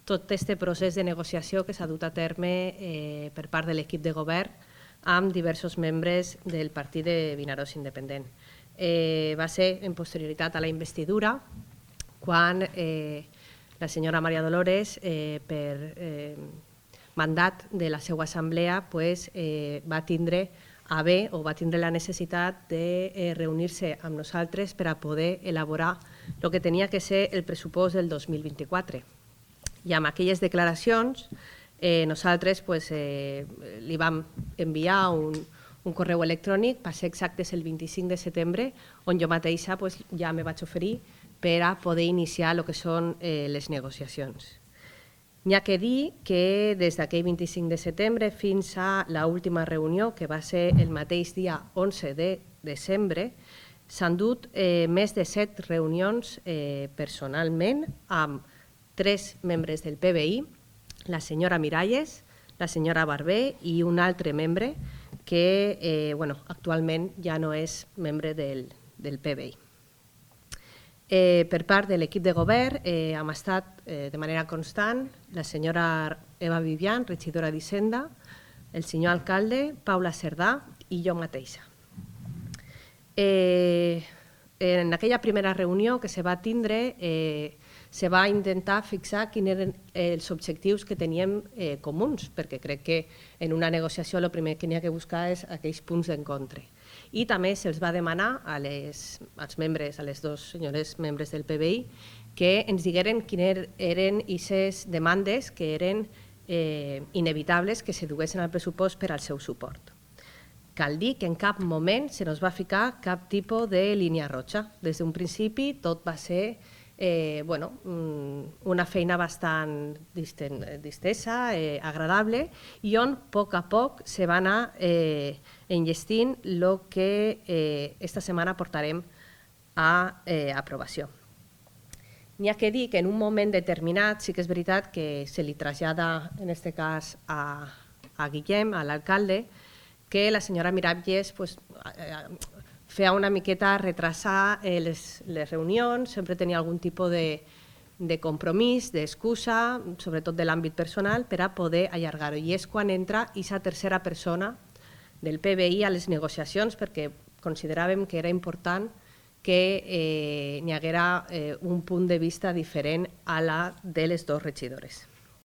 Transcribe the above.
tot aquest procés de negociació que s'ha dut a terme per part de l'equip de govern amb diversos membres del partit de Vinaròs Independent. Va ser en posterioritat a la investidura quan la senyora Maria Dolores, per mandat de la seva assemblea, va tindre a bé o va tindre la necessitat de reunir-se amb nosaltres per a poder elaborar el que tenia que ser el pressupost del 2024. I amb aquelles declaracions nosaltres li vam enviar un correu electrònic, va ser exactes el 25 de setembre, on jo mateixa ja me vaig oferir per a poder iniciar el que són les negociacions. N'hi ha que dir que des d'aquell 25 de setembre fins a l'última reunió, que va ser el mateix dia 11 de desembre, s'han dut més de 7 reunions personalment amb 3 membres del PBI, la senyora Miralles, la senyora Barber i un altre membre que actualment ja no és membre del PBI. Per part de l'equip de govern hem estat de manera constant la senyora Eva Vivian, regidora d'Hisenda, el senyor alcalde, Paula Cerdà i jo mateixa. En aquella primera reunió que se va tindre se va intentar fixar quins eren els objectius que teníem comuns, perquè crec que en una negociació el primer que n'hi ha que buscar és aquells punts d'encontre. I també se'ls va demanar als membres, a les dues senyores membres del PBI, que ens digueren quines eren aquestes demandes que eren inevitables que se duguessin al pressupost per al seu suport. Cal dir que en cap moment se nos va ficar cap tipus de línia roja. Des d'un principi tot va ser una feina bastant distesa, agradable, i on a poc se va anar enllestint el que esta setmana portarem a aprovació. N'hi ha que dir que en un moment determinat sí que és veritat que se li trasllada, en aquest cas a Guillem, a l'alcalde, que la senyora Miralles feia una miqueta retrasar les reunions, sempre tenia algun tipus de compromís, d'excusa, sobretot de l'àmbit personal, per a poder allargar-ho. I és quan entra aquesta tercera persona del PBI a les negociacions, perquè consideràvem que era important que n'hi haguera un punt de vista diferent a la de les dues regidores.